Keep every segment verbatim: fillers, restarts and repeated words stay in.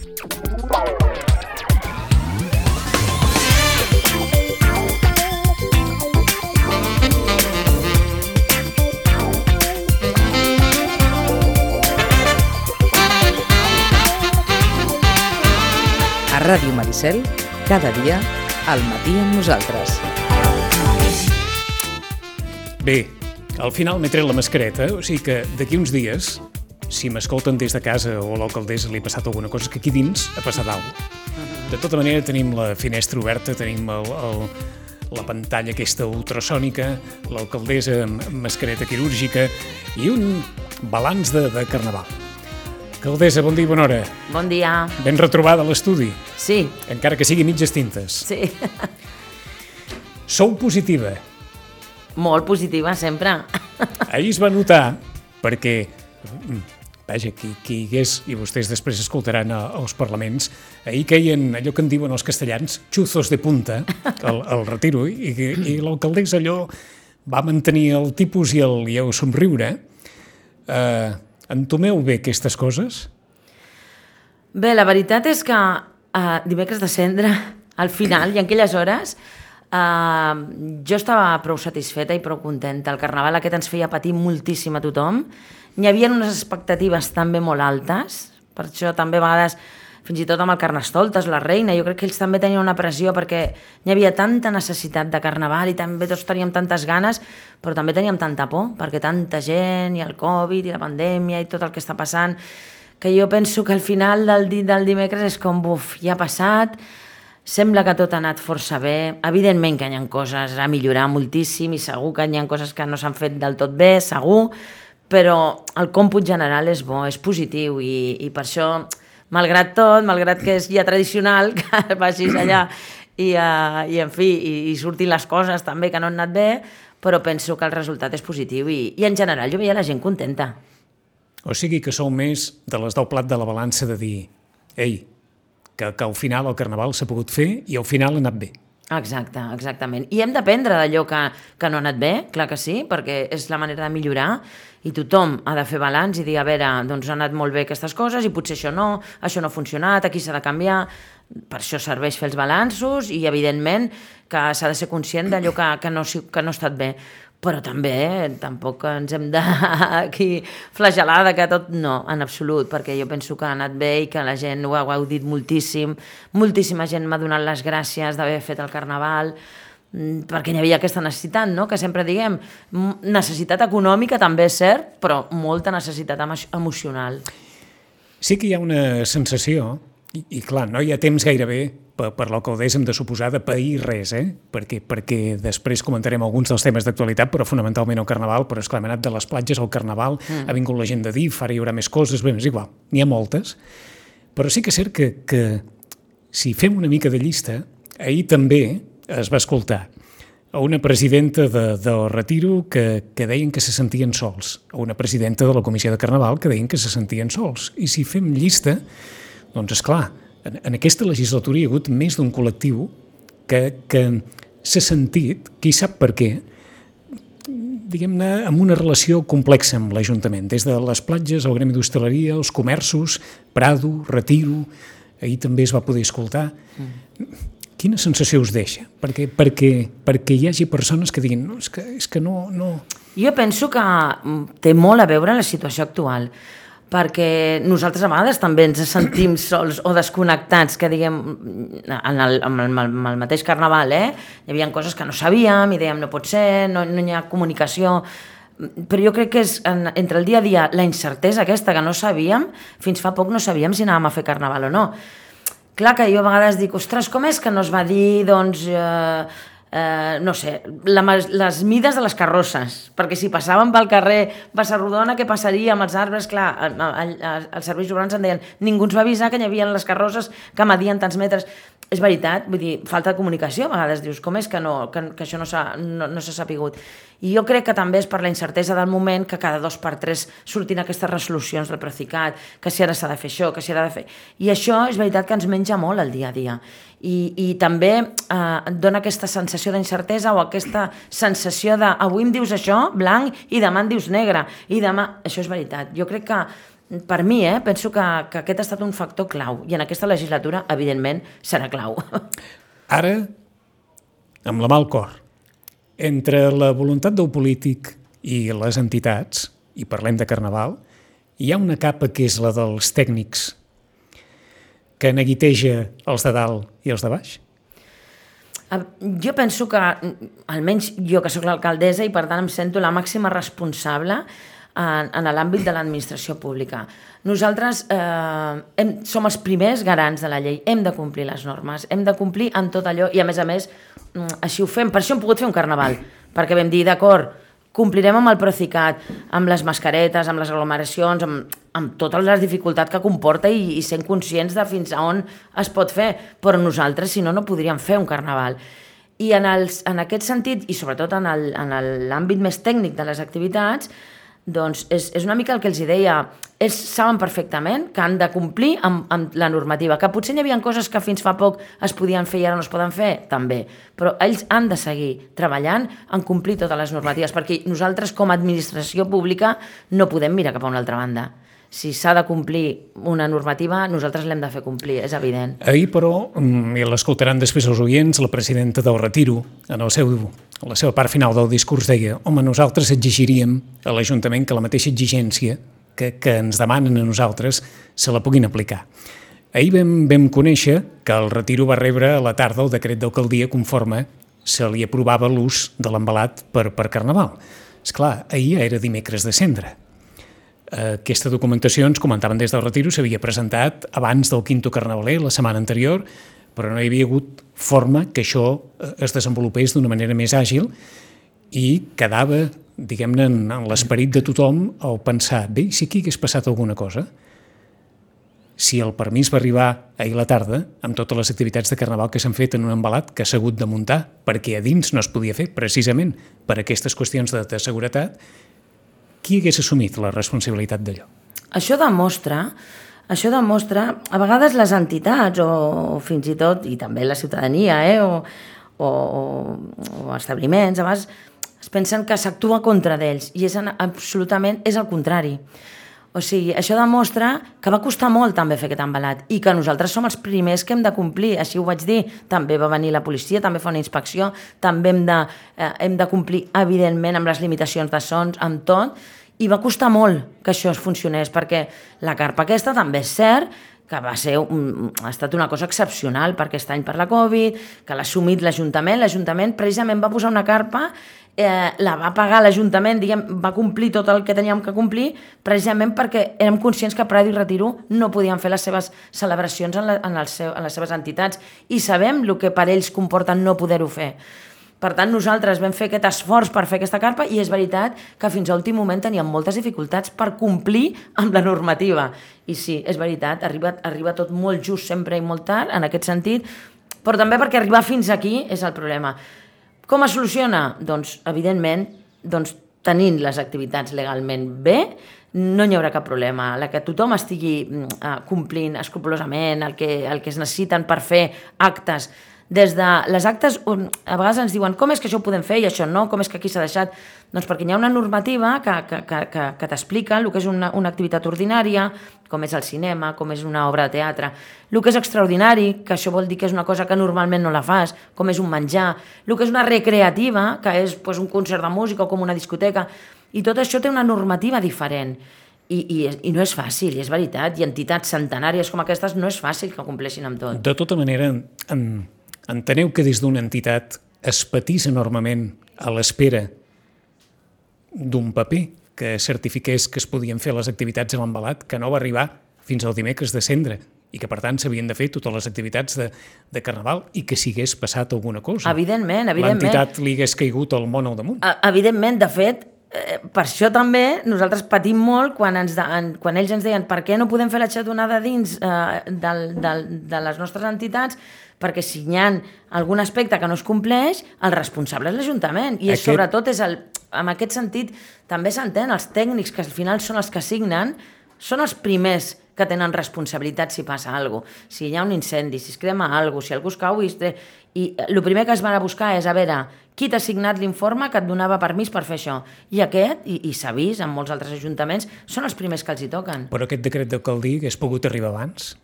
A Ràdio Maricel, cada dia, al matí amb nosaltres. Bé, al final m'he tret la mascareta, o sigui que d'aquí uns dies, si m'escolten des de casa o a l'alcaldessa li ha passat alguna cosa, que aquí dins ha passat alguna cosa. De tota manera, tenim la finestra oberta, tenim el, el, la pantalla aquesta ultrasònica, l'alcaldessa amb mascareta quirúrgica i un balanç de, de carnaval. Alcaldessa, bon dia i bona hora. Bon dia. Ben retrobada a l'estudi. Sí. Encara que sigui mitges tintes. Sí. Sou positiva. Molt positiva, sempre. Ahir es va notar, perquè, vaja, qui, qui hi hagués, i vostès després escoltaran als parlaments, ahir queien allò que en diuen els castellans, xuzos de punta, al, al retiro, i, i l'alcaldessa allò va mantenir el tipus i el, i el somriure. Eh, entomeu bé aquestes coses? Bé, la veritat és que uh, dimecres de cendre, al final, i en aquelles hores, uh, jo estava prou satisfeta i prou contenta. El carnaval aquest ens feia patir moltíssim a tothom. N'hi havia unes expectatives també molt altes, per això també a vegades, fins i tot amb el Carnestoltes, la reina, jo crec que ells també tenien una pressió perquè n'hi havia tanta necessitat de carnaval i també tots teníem tantes ganes, però també teníem tanta por, perquè tanta gent i el Covid i la pandèmia i tot el que està passant, que jo penso que al final del, di del dimecres és com, buf, ja ha passat, sembla que tot ha anat força bé, evidentment que hi ha coses a millorar moltíssim i segur que hi ha coses que no s'han fet del tot bé, segur, però el còmput general és bo, és positiu i, i per això, malgrat tot, malgrat que és ja tradicional que vagis allà i, uh, i en fi, i, i surtin les coses també que no han anat bé, però penso que el resultat és positiu i, i en general jo veia la gent contenta. O sigui que sou més de les del plat de la balança de dir, ei, que, que al final el carnaval s'ha pogut fer i al final ha anat bé. Exacte, exactament. I hem d'aprendre d'allò que, que no ha anat bé, clar que sí, perquè és la manera de millorar i tothom ha de fer balanç i dir, a veure, doncs ha anat molt bé aquestes coses i potser això no, això no ha funcionat, aquí s'ha de canviar. Per això serveix fer els balanços i, evidentment, que s'ha de ser conscient d'allò que, que, no, que no ha estat bé. Però també eh, tampoc ens hem de aquí flagelar de que tot no, en absolut, perquè jo penso que ha anat bé i que la gent ho ha gaudit moltíssim, moltíssima gent m'ha donat les gràcies d'haver fet el carnaval, perquè hi havia aquesta necessitat, no? Que sempre diguem, necessitat econòmica també és cert, però molta necessitat emo emocional. Sí que hi ha una sensació, i, i clar, no hi ha temps gairebé per, per l'alcaldessa hem de suposar de pair res, eh? perquè, perquè després comentarem alguns dels temes d'actualitat, però fonamentalment el carnaval, però esclar, hem anat de les platges al carnaval, mm. ha vingut la gent de D I F, ara hi haurà més coses, bé, és igual, n'hi ha moltes, però sí que és cert que, que si fem una mica de llista, ahir també es va escoltar a una presidenta de, del Retiro que, que deien que se sentien sols, a una presidenta de la Comissió de Carnaval que deien que se sentien sols, i si fem llista, doncs esclar, en, en aquesta legislatura hi ha hagut més d'un col·lectiu que, que s'ha sentit, qui sap per què, diguem-ne, amb una relació complexa amb l'Ajuntament, des de les platges, el gremi d'hostaleria, els comerços, Prado, Retiro, ahir també es va poder escoltar. Mm. Quina sensació us deixa? Perquè, perquè, perquè hi hagi persones que diguin no, és que, és que no, no... Jo penso que té molt a veure la situació actual, perquè nosaltres a vegades també ens sentim sols o desconnectats, que diguem, en el, en el, en el mateix carnaval, eh? Hi havia coses que no sabíem i dèiem no pot ser, no, no hi ha comunicació, però jo crec que és en, entre el dia a dia la incertesa aquesta que no sabíem, fins fa poc no sabíem si anàvem a fer carnaval o no. Clar que jo a vegades dic, ostres, com és que no es va dir, doncs, eh, eh, no sé, la, les mides de les carrosses, perquè si passàvem pel carrer Bassarrodona, què passaria amb els arbres? Clar, els serveis urbans en deien, ningú ens va avisar que hi havia les carrosses que medien tants metres. És veritat, vull dir, falta de comunicació, a vegades dius, com és que, no, que, que això no s'ha no, no sapigut? I jo crec que també és per la incertesa del moment que cada dos per tres surtin aquestes resolucions del Procicat, que si ara s'ha de fer això, que si ara ha de fer... I això és veritat que ens menja molt el dia a dia. I, i també eh, dona aquesta sensació d'incertesa o aquesta sensació de avui em dius això, blanc, i demà em dius negre. I demà... Això és veritat. Jo crec que per mi, eh, penso que, que aquest ha estat un factor clau i en aquesta legislatura, evidentment, serà clau. Ara, amb la mà al cor, entre la voluntat del polític i les entitats, i parlem de Carnaval, hi ha una capa que és la dels tècnics que neguiteja els de dalt i els de baix? Jo penso que, almenys jo que sóc l'alcaldessa i per tant em sento la màxima responsable en, en l'àmbit de l'administració pública. Nosaltres eh, hem, som els primers garants de la llei, hem de complir les normes, hem de complir en tot allò i a més a més així ho fem, per això hem pogut fer un carnaval, perquè vam dir d'acord, complirem amb el Procicat, amb les mascaretes, amb les aglomeracions, amb, amb totes les dificultats que comporta i, i sent conscients de fins a on es pot fer, però nosaltres si no no podríem fer un carnaval. I en, els, en aquest sentit, i sobretot en l'àmbit més tècnic de les activitats, doncs és, és una mica el que els deia, ells saben perfectament que han de complir amb, amb la normativa, que potser hi havia coses que fins fa poc es podien fer i ara no es poden fer, també, però ells han de seguir treballant en complir totes les normatives, perquè nosaltres com a administració pública no podem mirar cap a una altra banda. Si s'ha de complir una normativa, nosaltres l'hem de fer complir, és evident. Ahir, però, i l'escoltaran després els oients, la presidenta del Retiro, en el seu, la seva part final del discurs deia home, nosaltres exigiríem a l'Ajuntament que la mateixa exigència que, que ens demanen a nosaltres se la puguin aplicar. Ahir vam, vam conèixer que el Retiro va rebre a la tarda el decret d'alcaldia conforme se li aprovava l'ús de l'embalat per, per Carnaval. Esclar, ahir ja era dimecres de cendra. Aquesta documentació, ens comentaven des del Retiro, s'havia presentat abans del quinto carnavaler, la setmana anterior, però no hi havia hagut forma que això es desenvolupés d'una manera més àgil i quedava, diguem-ne, en l'esperit de tothom el pensar, bé, si aquí hagués passat alguna cosa, si el permís va arribar ahir a la tarda, amb totes les activitats de Carnaval que s'han fet en un embalat que s'ha hagut de muntar, perquè a dins no es podia fer, precisament per aquestes qüestions de, de seguretat, qui hagués assumit la responsabilitat d'allò? Això demostra, això demostra, a vegades les entitats o fins i tot, i també la ciutadania, eh, o, o, o establiments, a vegades es pensen que s'actua contra d'ells i és absolutament és el contrari. O sigui, això demostra que va costar molt també fer aquest embalat i que nosaltres som els primers que hem de complir, així ho vaig dir, també va venir la policia, també fa una inspecció, també hem de, eh, hem de complir evidentment amb les limitacions de sons, amb tot, i va costar molt que això es funcionés, perquè la carpa aquesta també és cert que va ser un, ha estat una cosa excepcional per aquest any per la Covid, que l'ha assumit l'Ajuntament, l'Ajuntament precisament va posar una carpa, eh, la va pagar l'Ajuntament, diguem, va complir tot el que teníem que complir, precisament perquè érem conscients que Prado i Retiro no podien fer les seves celebracions en, la, en, el seu, en les seves entitats i sabem el que per ells comporta no poder-ho fer. Per tant, nosaltres vam fer aquest esforç per fer aquesta carpa i és veritat que fins a l'últim moment teníem moltes dificultats per complir amb la normativa. I sí, és veritat, arriba, arriba tot molt just sempre i molt tard, en aquest sentit, però també perquè arribar fins aquí és el problema. Com es soluciona? Doncs, evidentment, doncs, tenint les activitats legalment bé, no hi haurà cap problema. La que tothom estigui uh, complint escrupolosament el que, el que es necessiten per fer actes. Des de les actes, a vegades ens diuen com és que això ho podem fer i això no, com és que aquí s'ha deixat? Doncs perquè hi ha una normativa que, que, que, que, que t'explica el que és una, una activitat ordinària, com és el cinema, com és una obra de teatre, el que és extraordinari, que això vol dir que és una cosa que normalment no la fas, com és un menjar, el que és una recreativa, que és pues, un concert de música o com una discoteca, i tot això té una normativa diferent. I, i, i no és fàcil, i és veritat, i entitats centenàries com aquestes no és fàcil que compleixin amb tot. De tota manera, en... enteneu que des d'una entitat es patís enormement a l'espera d'un paper que certifiqués que es podien fer les activitats a l'embalat, que no va arribar fins al dimecres de cendra i que, per tant, s'havien de fer totes les activitats de, de Carnaval i que si hagués passat alguna cosa. Evidentment, evidentment. L'entitat li hagués caigut el món al damunt. Evidentment, de fet, eh, per això també nosaltres patim molt quan, ens de, en, quan ells ens deien per què no podem fer la xatonada dins eh, del, del, de les nostres entitats, perquè si hi ha algun aspecte que no es compleix, el responsable és l'Ajuntament. I Aquest... sobretot, és el, en aquest sentit, també s'entén, els tècnics, que al final són els que signen, són els primers que tenen responsabilitat si passa alguna cosa. Si hi ha un incendi, si es crema alguna cosa, si algú es cau... I, i el primer que es va a buscar és a veure qui t'ha signat l'informe que et donava permís per fer això? I aquest, i, i s'ha vist en molts altres ajuntaments, són els primers que els hi toquen. Però aquest decret d'alcaldia hagués pogut arribar abans?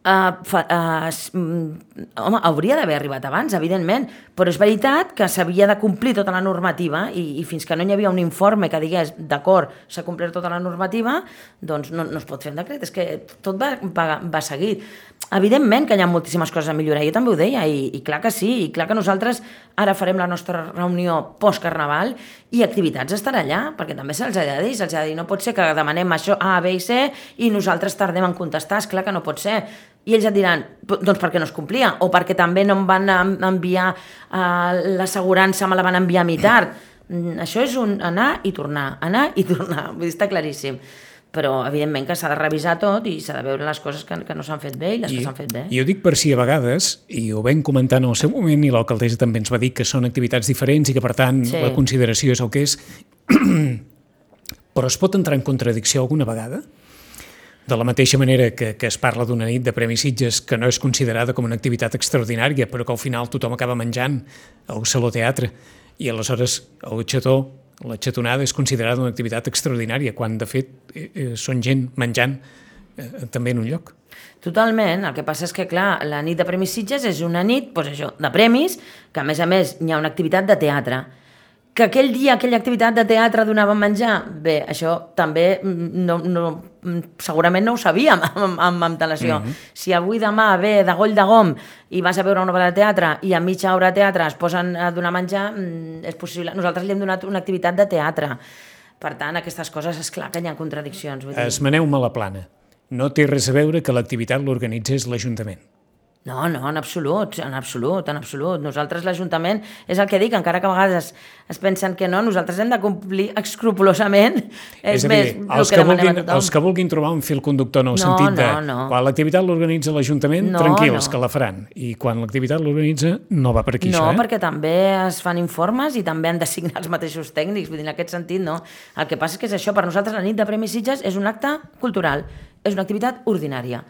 Uh, fa, uh, home, hauria d'haver arribat abans, evidentment, però és veritat que s'havia de complir tota la normativa i, i fins que no hi havia un informe que digués d'acord, s'ha complert tota la normativa, doncs no, no es pot fer un decret, és que tot va, va, va seguit. Evidentment que hi ha moltíssimes coses a millorar, jo també ho deia, i, i clar que sí, i clar que nosaltres ara farem la nostra reunió post-carnaval i activitats estarà allà, perquè també se'ls ha de dir, se'ls ha de dir, no pot ser que demanem això A, B i C i nosaltres tardem en contestar, és clar que no pot ser. I ells et diran, doncs perquè no es complia, o perquè també no em van enviar uh, l'assegurança, me la van enviar a mi tard. Això és un anar i tornar, anar i tornar, vull dir, està claríssim. Però, evidentment, que s'ha de revisar tot i s'ha de veure les coses que, que no s'han fet bé i les I, que s'han fet bé. I ho dic per si a vegades, i ho vam comentar en el seu moment, i l'alcaldessa també ens va dir que són activitats diferents i que, per tant, sí. La consideració és el que és, però es pot entrar en contradicció alguna vegada? De la mateixa manera que, que es parla d'una nit de Premi Sitges que no és considerada com una activitat extraordinària, però que al final tothom acaba menjant al Saló Teatre i aleshores el xató, la xatonada és considerada una activitat extraordinària, quan de fet eh, són gent menjant eh, també en un lloc. Totalment, el que passa és que, clar, la nit de Premis Sitges és una nit, doncs això, de premis, que a més a més hi ha una activitat de teatre. Que aquell dia aquella activitat de teatre donava menjar? Bé, això també no, no, segurament no ho sabíem amb, amb antelació. Mm-hmm. Si avui demà ve de Goll de Gom i vas a veure una obra de teatre i a mitja hora de teatre es posen a donar menjar, és possible. Nosaltres li hem donat una activitat de teatre. Per tant, aquestes coses, és clar que hi ha contradiccions. Vull dir. Esmeneu-me la plana. No té res a veure que l'activitat l'organitzés l'Ajuntament. No, no, en absolut, en absolut, en absolut. Nosaltres, l'Ajuntament, és el que dic, encara que a vegades es pensen que no, nosaltres hem de complir escrupolosament. És, és més, dir, els, que que vulguin, els que vulguin trobar un fil conductor en el no, sentit de... No, no. Quan l'activitat l'organitza l'Ajuntament, no, tranquils, no. Que la faran. I quan l'activitat l'organitza, no va per aquí, no, això, eh? No, perquè també es fan informes i també han de signar els mateixos tècnics. Vull dir, en aquest sentit, no. El que passa és que és això, per nosaltres la nit de Premis Sitges és un acte cultural, és una activitat ordinària.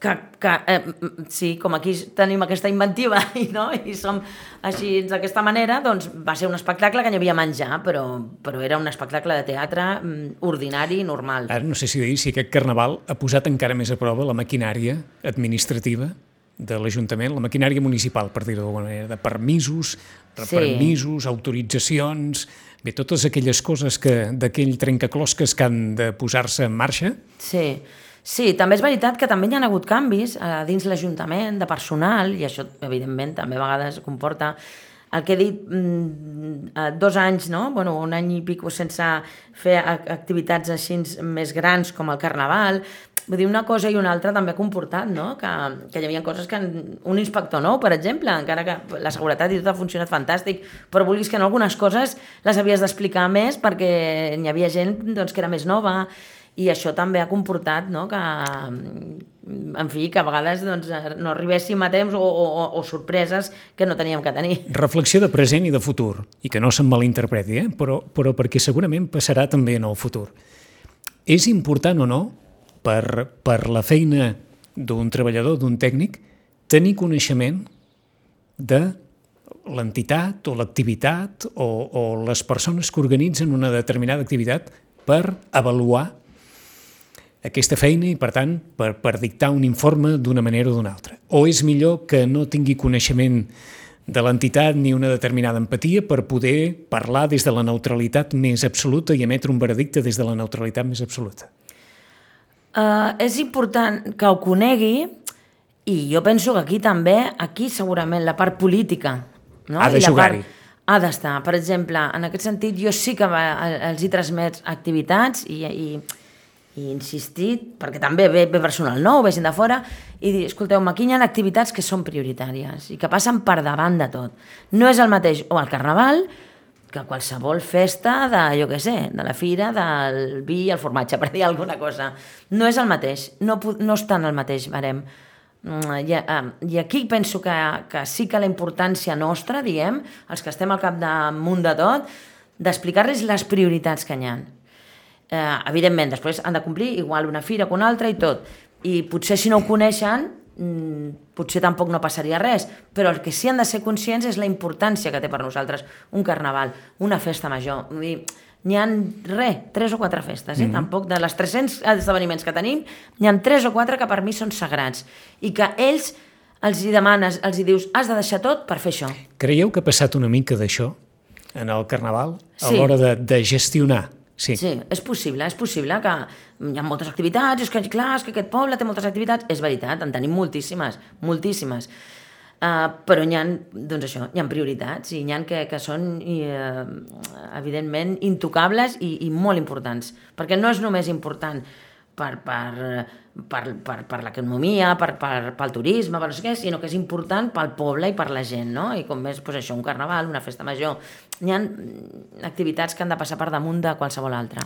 Que, que eh, sí, com aquí tenim aquesta inventiva i, no? I som així d'aquesta manera, doncs va ser un espectacle que n'hi havia menjar, però, però era un espectacle de teatre ordinari i normal. Ara no sé si dir si aquest carnaval ha posat encara més a prova la maquinària administrativa de l'Ajuntament, la maquinària municipal, per dir-ho d'alguna manera, de permisos, sí. Permisos, autoritzacions, bé, totes aquelles coses que d'aquell trencaclosques que han de posar-se en marxa. Sí. Sí, també és veritat que també hi ha hagut canvis eh, dins l'Ajuntament, de personal, i això, evidentment, també a vegades comporta el que he dit, mm, dos anys, no? Bueno, un any i pico sense fer activitats així més grans com el Carnaval. Vull dir, una cosa i una altra també ha comportat, no? Que, que hi havia coses que... Un inspector nou, per exemple, encara que la seguretat i tot ha funcionat fantàstic, però vulguis que no, algunes coses les havies d'explicar més perquè hi havia gent doncs, que era més nova. I això també ha comportat, no? Que, en fi, que a vegades doncs, no arribéssim a temps o, o, o sorpreses que no teníem que tenir. Reflexió de present i de futur, i que no se'n malinterpreti, eh? però, però perquè segurament passarà també en el futur. És important o no, per, per la feina d'un treballador, d'un tècnic, tenir coneixement de l'entitat o l'activitat o, o les persones que organitzen una determinada activitat per avaluar aquesta feina i, per tant, per, per dictar un informe d'una manera o d'una altra. O és millor que no tingui coneixement de l'entitat ni una determinada empatia per poder parlar des de la neutralitat més absoluta i emetre un veredicte des de la neutralitat més absoluta? Uh, és important que ho conegui i jo penso que aquí també, aquí segurament la part política, no? Ha de jugar-hi. Ha d'estar. Per exemple, en aquest sentit, jo sí que va, els hi transmet activitats i... i i insistit, perquè també ve, ve personal nou, ve gent de fora, i dir, escolteu-me, aquí hi ha activitats que són prioritàries i que passen per davant de tot. No és el mateix, o el Carnaval, que qualsevol festa de, jo què sé, de la fira, del vi i el formatge, per dir alguna cosa. No és el mateix, no, no estan al mateix barem. I, i aquí penso que, que sí que la importància nostra, diguem, els que estem al capdamunt de tot, d'explicar-los les prioritats que hi ha. Eh, evidentment, després han de complir igual una fira que una altra i tot. I potser si no ho coneixen, potser tampoc no passaria res, però el que sí han de ser conscients és la importància que té per nosaltres un carnaval, una festa major. Vull dir, n'hi ha, res, tres o quatre festes, eh? Mm-hmm. Tampoc de les tres-cents esdeveniments que tenim, n'hi ha tres o quatre que per mi són sagrats, i que ells els hi demanes, els hi dius, has de deixar tot per fer això. Creieu que ha passat una mica d'això en el carnaval, a sí. l'hora de, de gestionar? Sí. sí, és possible, és possible que hi ha moltes activitats, és que clar, és que aquest poble té moltes activitats, és veritat, en tenim moltíssimes, moltíssimes, uh, però n'hi ha, doncs això, hi ha prioritats i n'hi ha que, que són i, uh, evidentment intocables i, i molt importants, perquè no és només important per, per, per, per, per l'economia, per, per, pel turisme, per no sé què, sinó que és important pel poble i per la gent, no? I com més, doncs això, un carnaval, una festa major, hi ha activitats que han de passar per damunt de qualsevol altra.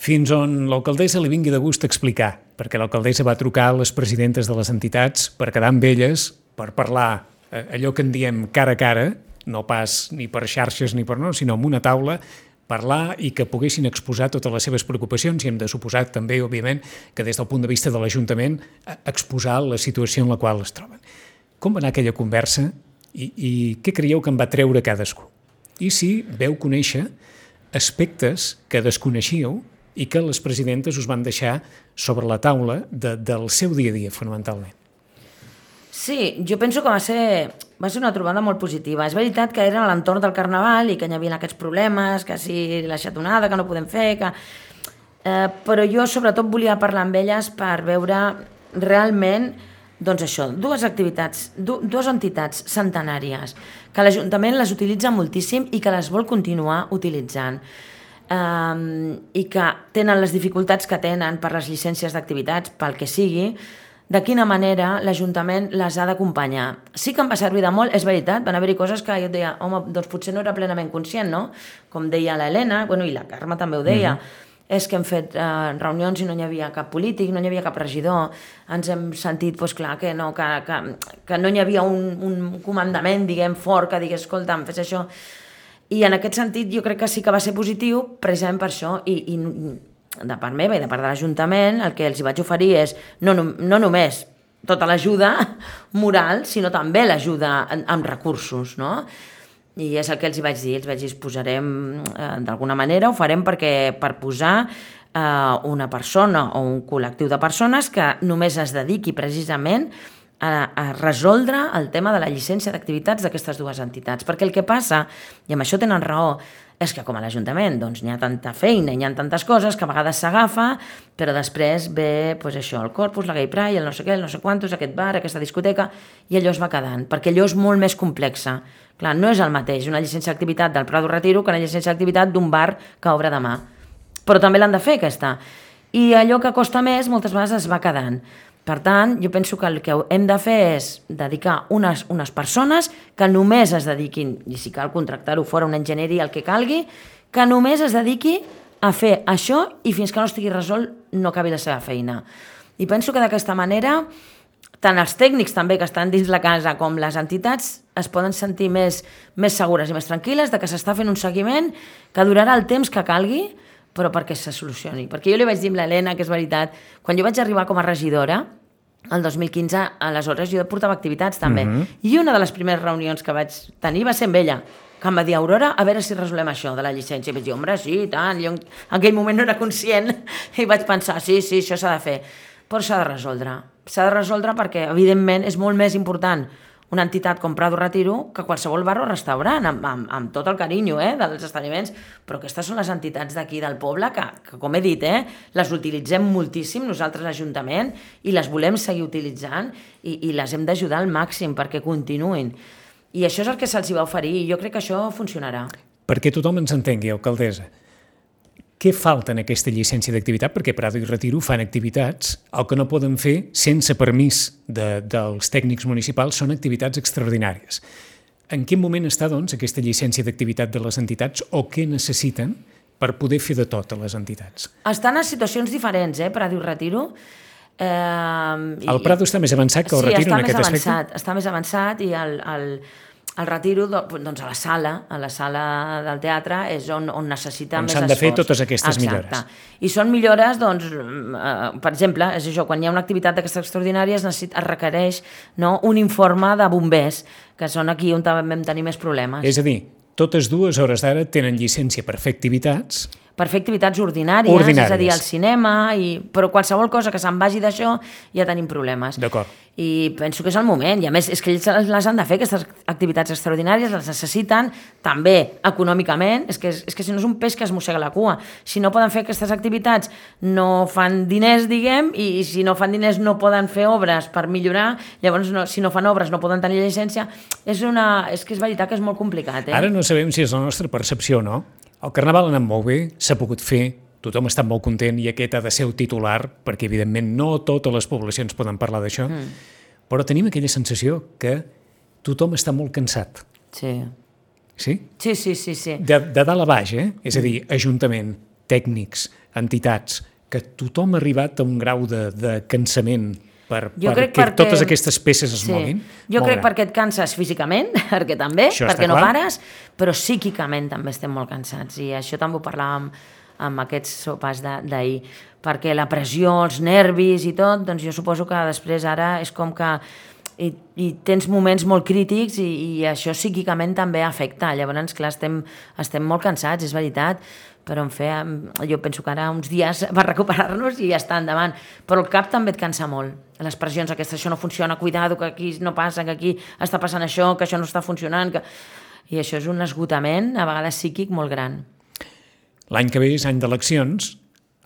Fins on l'alcaldessa li vingui de gust explicar, perquè l'alcaldessa va trucar a les presidentes de les entitats per quedar amb elles, per parlar allò que en diem cara a cara, no pas ni per xarxes ni per no, sinó amb una taula, parlar i que poguessin exposar totes les seves preocupacions i hem de suposar també, òbviament, que des del punt de vista de l'Ajuntament exposar la situació en la qual es troben. Com va anar aquella conversa i, i què creieu que en va treure cadascú? I si veu conèixer aspectes que desconeixíeu i que les presidentes us van deixar sobre la taula de, del seu dia a dia, fonamentalment. Sí, jo penso que va ser, va ser una trobada molt positiva. És veritat que era a l'entorn del Carnaval i que hi havia aquests problemes, que si la xatonada, que no podem fer, que... Eh, però jo sobretot volia parlar amb elles per veure realment, doncs això, dues activitats, du dues entitats centenàries, que l'Ajuntament les utilitza moltíssim i que les vol continuar utilitzant. Eh, i que tenen les dificultats que tenen per les llicències d'activitats, pel que sigui, de quina manera l'Ajuntament les ha d'acompanyar. Sí que em va servir de molt, és veritat, van haver-hi coses que jo et deia, home, doncs potser no era plenament conscient, no? Com deia l'Helena, bueno, i la Carme també ho deia, mm-hmm. és que hem fet eh, reunions i no hi havia cap polític, no hi havia cap regidor, ens hem sentit, doncs clar, que no, que, que, que no hi havia un, un comandament, diguem, fort, que digués, escolta'm, fes això. I en aquest sentit jo crec que sí que va ser positiu, precisament per això, i, i de part meva i de part de l'Ajuntament, el que els hi vaig oferir és no, no, no només tota l'ajuda moral, sinó també l'ajuda amb recursos, no? I és el que els hi vaig dir, els vaig dir, es posarem eh, d'alguna manera, ho farem perquè, per posar eh, una persona o un col·lectiu de persones que només es dediqui precisament a, a resoldre el tema de la llicència d'activitats d'aquestes dues entitats. Perquè el que passa, i amb això tenen raó, és que com a l'Ajuntament doncs, hi ha tanta feina, hi ha tantes coses que a vegades s'agafa, però després ve pues, això, el Corpus, la Gay Pride, el no sé què, el no sé quantos, aquest bar, aquesta discoteca, i allò es va quedant, perquè allò és molt més complexa. Clar, no és el mateix una llicència d'activitat del Prado Retiro que una llicència d'activitat d'un bar que obre demà. Però també l'han de fer, aquesta. I allò que costa més, moltes vegades es va quedant. Per tant, jo penso que el que hem de fer és dedicar unes, unes persones que només es dediquin, i si cal contractar-ho fora una enginyeria, el que calgui, que només es dediqui a fer això i fins que no estigui resolt no acabi la seva feina. I penso que d'aquesta manera, tant els tècnics també que estan dins la casa com les entitats es poden sentir més, més segures i més tranquil·les de que s'està fent un seguiment que durarà el temps que calgui, però perquè se solucioni. Perquè jo li vaig dir a l'Helena, que és veritat, quan jo vaig arribar com a regidora, el dos mil quinze, aleshores jo portava activitats també, mm-hmm. i una de les primeres reunions que vaig tenir va ser amb ella, que em va dir, Aurora, a veure si resolem això de la llicència. I vaig dir, home, sí, tant, jo en aquell moment no era conscient, i vaig pensar, sí, sí, això s'ha de fer, però s'ha de resoldre. S'ha de resoldre perquè, evidentment, és molt més important una entitat com Prado Retiro que qualsevol bar o restaurant, amb, amb, amb tot el carinyo eh, dels establiments, però aquestes són les entitats d'aquí del poble que, que, com he dit, eh, les utilitzem moltíssim nosaltres l'Ajuntament i les volem seguir utilitzant i, i les hem d'ajudar al màxim perquè continuïn. I això és el que se'ls va oferir i jo crec que això funcionarà. Perquè tothom ens entengui, alcaldessa, què falta en aquesta llicència d'activitat? Perquè Prado i Retiro fan activitats, el que no poden fer sense permís de, dels tècnics municipals són activitats extraordinàries. En quin moment està, doncs, aquesta llicència d'activitat de les entitats o què necessiten per poder fer de tot a les entitats? Estan en situacions diferents, eh, Prado i Retiro. Eh, el Prado està més avançat que el sí, Retiro en aquest avançat, aspecte? està més avançat i el, el, el retiro, doncs a la sala, a la sala del teatre, és on, on necessita on més esforç. On s'han de fer totes aquestes Exacte. millores. I són millores, doncs, eh, per exemple, és això, quan hi ha una activitat d'aquestes extraordinàries es, necessita, es requereix, no, un informe de bombers, que són aquí on vam tenir més problemes. És a dir, totes dues hores d'ara tenen llicència per fer activitats... per fer activitats ordinàries, ordinàries, és a dir, al cinema, i... però qualsevol cosa que se'n vagi d'això ja tenim problemes. D'acord. I penso que és el moment, i a més és que ells les han de fer, aquestes activitats extraordinàries, les necessiten també econòmicament, és que, és que si no és un peix que es mossega la cua, si no poden fer aquestes activitats no fan diners, diguem, i si no fan diners no poden fer obres per millorar, llavors no, si no fan obres no poden tenir llicència, és, una, és que és veritat que és molt complicat. Eh? Ara no sabem si és la nostra percepció o no. El Carnaval ha anat molt bé, s'ha pogut fer, tothom està molt content i aquest ha de ser el titular, perquè evidentment no totes les poblacions poden parlar d'això, mm. però tenim aquella sensació que tothom està molt cansat. Sí. Sí? Sí, sí, sí. sí. De, de dalt a baix, eh? És a dir, ajuntament, tècnics, entitats, que tothom ha arribat a un grau de, de cansament per, perquè, perquè totes aquestes peces es sí. moguin. Jo crec gran. Perquè et canses físicament, perquè també, això perquè no clar. pares, però psíquicament també estem molt cansats, i això també ho parlàvem amb aquests sopars d'ahir, perquè la pressió, els nervis i tot, doncs jo suposo que després ara és com que i, i tens moments molt crítics i, i això psíquicament també afecta, llavors clar, estem, estem molt cansats, és veritat, però en fe, jo penso que ara uns dies va recuperar-nos i ja està endavant, però el cap també et cansa molt, les pressions aquestes, això no funciona, cuidado, que aquí no passa, que aquí està passant això, que això no està funcionant, que... i això és un esgotament, a vegades psíquic, molt gran. L'any que ve és any d'eleccions,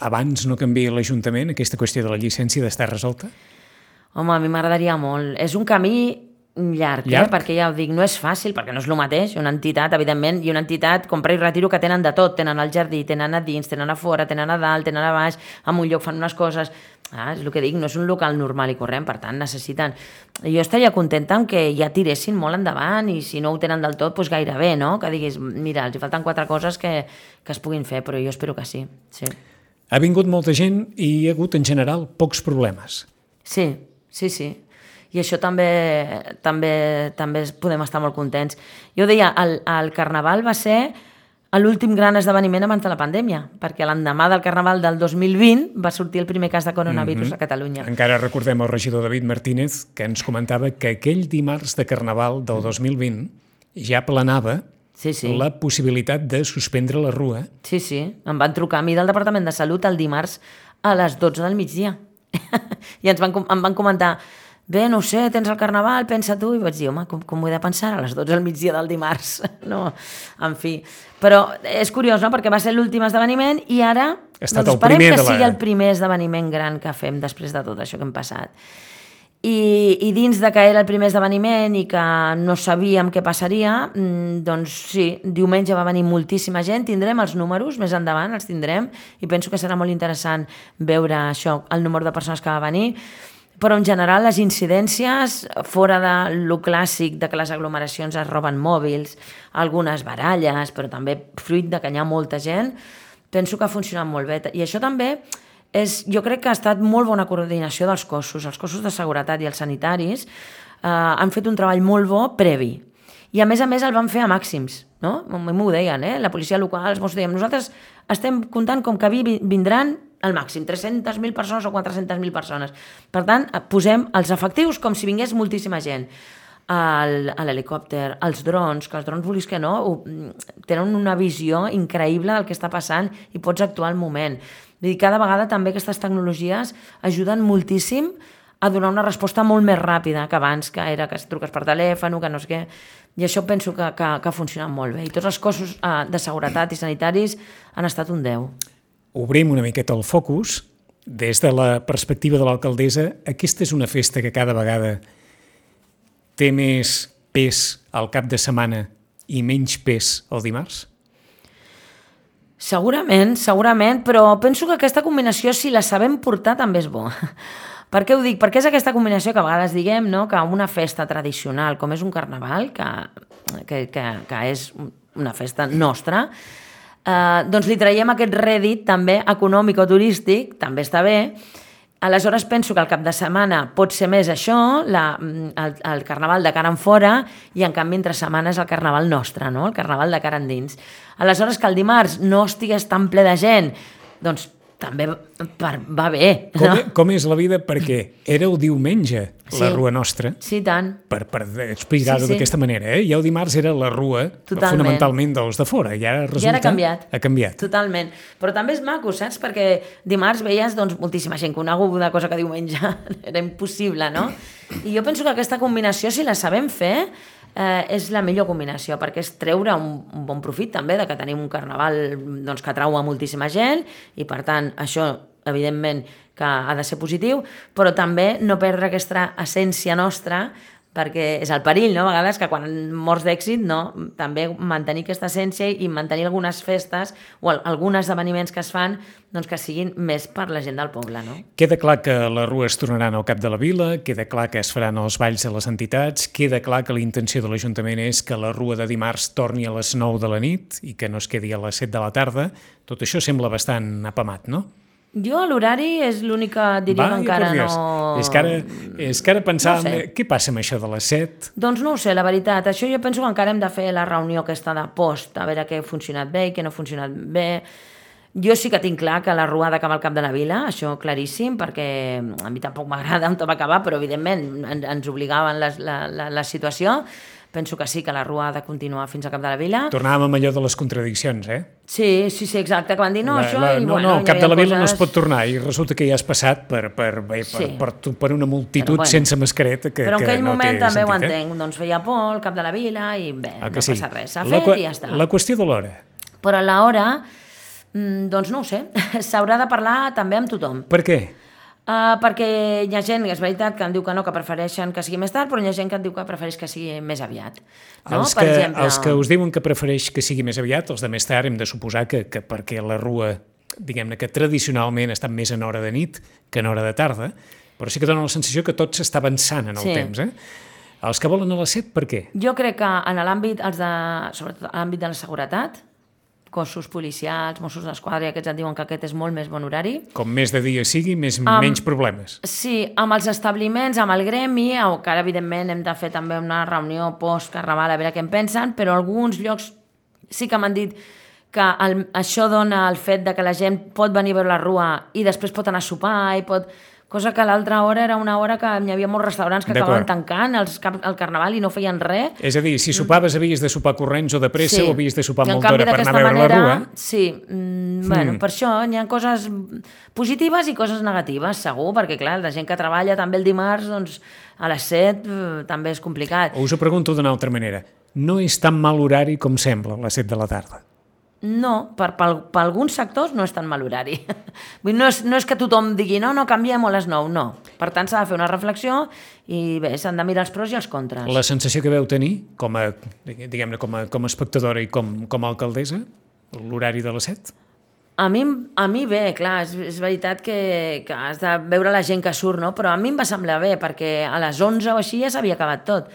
abans no canvia l'Ajuntament aquesta qüestió de la llicència d'estar resolta? Home, a mi m'agradaria molt. És un camí llarg, llarg? Eh? Perquè ja ho dic, no és fàcil, perquè no és el mateix, una entitat, evidentment, i una entitat, compra i retiro, que tenen de tot, tenen al jardí, tenen a dins, tenen a fora, tenen a dalt, tenen a baix, en un lloc fan unes coses, ah, és el que dic, no és un local normal i corrent, per tant necessiten, jo estaria contenta en que ja tiressin molt endavant, i si no ho tenen del tot, doncs gairebé, no? Que diguis, mira, els hi falten quatre coses que, que es puguin fer, però jo espero que sí, sí. Ha vingut molta gent i hi ha hagut, en general, pocs problemes. Sí, sí, sí. I això també, també, també podem estar molt contents. Jo deia, el, el Carnaval va ser l'últim gran esdeveniment abans de la pandèmia, perquè l'endemà del Carnaval del dos mil vint va sortir el primer cas de coronavirus mm-hmm. a Catalunya. Encara recordem el regidor David Martínez, que ens comentava que aquell dimarts de Carnaval del dos mil vint ja planava sí, sí. la possibilitat de suspendre la rua. Sí, sí. Em van trucar a mi del Departament de Salut el dimarts a les dotze del migdia. I ens van, em van comentar, bé, no ho sé, tens el Carnaval, pensa tu, i vaig dir, home, com, com ho he de pensar a les dotze del migdia del dimarts? No, en fi. Però és curiós, no?, perquè va ser l'últim esdeveniment i ara doncs, esperem que sigui la... el primer esdeveniment gran que fem després de tot això que hem passat. I, i dins de que era el primer esdeveniment i que no sabíem què passaria, doncs sí, diumenge va venir moltíssima gent, tindrem els números, més endavant els tindrem, i penso que serà molt interessant veure això, el número de persones que va venir, però en general les incidències, fora de lo clàssic de que les aglomeracions es roben mòbils, algunes baralles, però també fruit de que hi ha molta gent, penso que ha funcionat molt bé. I això també és, jo crec que ha estat molt bona coordinació dels cossos. Els cossos de seguretat i els sanitaris eh, han fet un treball molt bo previ. I a més a més el van fer a màxims, no? A mi m'ho deien, eh? La policia local, els Mossos deien, nosaltres estem comptant com que vindran al màxim, tres-centes mil persones o quatre-centes mil persones. Per tant, posem els efectius com si vingués moltíssima gent. L'helicòpter, els drons, que els drons, vulguis que no, tenen una visió increïble del que està passant i pots actuar al moment. Vull dir, cada vegada també aquestes tecnologies ajuden moltíssim a donar una resposta molt més ràpida que abans, que era que truques per telèfon, que no sé què. I això penso que, que, que ha funcionat molt bé. I tots els cossos eh, de seguretat i sanitaris han estat un deu. Obrim una miqueta el focus. Des de la perspectiva de l'alcaldessa, aquesta és una festa que cada vegada té més pes al cap de setmana i menys pes el dimarts? Segurament, segurament, però penso que aquesta combinació, si la sabem portar, també és bo. Per què ho dic? Perquè és aquesta combinació que a vegades diguem, no?, que una festa tradicional com és un carnaval, que, que, que, que és una festa nostra, eh, doncs li traiem aquest rèdit també econòmic o turístic, també està bé, Aleshores penso que el cap de setmana pot ser més això, la, el, el carnaval de cara en fora, i en canvi entre setmana és el carnaval nostre, no? El carnaval de cara endins. Aleshores que el dimarts no estigués tan ple de gent, doncs també per, va bé. Com, no? com és la vida? Perquè era el diumenge, sí. La Rua Nostra. Sí, tant. Per, per explicar-ho sí, sí. d'aquesta manera. Eh? I el dimarts era la Rua, totalment. Fonamentalment dels de fora. I ara resulta... I ara ha canviat. Ha canviat. Totalment. Però també és maco, saps? Perquè dimarts veies doncs, moltíssima gent coneguda, cosa que diumenge era impossible, no? I jo penso que aquesta combinació, si la sabem fer, eh, és la millor combinació, perquè és treure un, un bon profit també de que tenim un carnaval doncs, que atrau a moltíssima gent i per tant això evidentment que ha de ser positiu, però també no perdre aquesta essència nostra, perquè és el perill, no? A vegades que quan mors d'èxit, no? També mantenir aquesta essència i mantenir algunes festes o alguns esdeveniments que es fan doncs que siguin més per la gent del poble, no? Queda clar que les rues tornaran al cap de la vila, queda clar que es faran els balls de les entitats, queda clar que la intenció de l'Ajuntament és que la rua de dimarts torni a les nou de la nit i que no es quedi a les set de la tarda. Tot això sembla bastant apamat, no? Jo l'horari és l'únic que diria Va, que encara no... És que ara, és que ara pensàvem, no sé. Què passa amb això de les set? Doncs no ho sé, la veritat. Això jo penso que encara hem de fer la reunió aquesta de post, a veure què ha funcionat bé i què no ha funcionat bé. Jo sí que tinc clar que la rua ha d'acabar al cap de la vila, això claríssim, perquè a mi tampoc m'agrada on va acabar, però evidentment ens obligaven la, la, la, la situació. Penso que sí, que la rua ha de continuar fins al cap de la vila. Tornàvem amb allò de les contradiccions, eh? Sí, sí, sí, exacte, que van dir no, la, això... La, i, no, bueno, no, al cap de la vila coses... no es pot tornar i resulta que ja has passat per, per, per, sí. per, per, per una multitud bueno, sense mascareta que, però en que aquell no moment té també sentit, ho eh? entenc, doncs feia por al cap de la vila i bé, ah, no sí. passa res, s'ha la, fet i ja està. La qüestió de l'hora. Però l'hora, doncs no ho sé, s'haurà de parlar també amb tothom. Per què? Uh, perquè hi ha gent, és veritat, que em diu que no, que prefereixen que sigui més tard, però hi ha gent que em diu que prefereix que sigui més aviat. No? Els, per que, exemple... els que us diuen que prefereix que sigui més aviat, els de més tard, hem de suposar que, que perquè la rua, diguem-ne que tradicionalment està més en hora de nit que en hora de tarda, però sí que dona la sensació que tot s'està avançant en el sí. temps. Eh? Els que volen a les set, per què? Jo crec que en l'àmbit, els de, sobretot en l'àmbit de la seguretat, cossos policials, Mossos d'Esquadra, i aquests et diuen que aquest és molt més bon horari. Com més de dia sigui, més, um, menys problemes. Sí, amb els establiments, amb el gremi, o que ara evidentment hem de fer també una reunió post-carnaval a veure què en pensen, però alguns llocs sí que m'han dit que el, això dona el fet de que la gent pot venir a veure la rua i després pot anar a sopar i pot... Cosa que l'altra hora era una hora que hi havia molts restaurants que acabaven tancant els cap, el carnaval i no feien res. És a dir, si sopaves havies de sopar corrents o de pressa sí. o havies de sopar molta hora per anar a veure manera, la rua. Sí, mm, mm. bueno, per això hi ha coses positives i coses negatives, segur, perquè clar, la gent que treballa també el dimarts, doncs a les set eh, també és complicat. O us ho pregunto d'una altra manera, no és tan mal horari com sembla a les set de la tarda? No, per, per, per alguns sectors no és tan mal horari. No és, no és que tothom digui no, no, canviem a les nou, no. Per tant, s'ha de fer una reflexió i bé, s'han de mirar els pros i els contres. La sensació que veu tenir, com a, diguem-ne, com a, com a espectadora i com, com a alcaldessa, l'horari de les set? A mi, a mi bé, clar, és, és veritat que, que has de veure la gent que surt, no? Però a mi em va semblar bé, perquè a les onze o així ja s'havia acabat tot.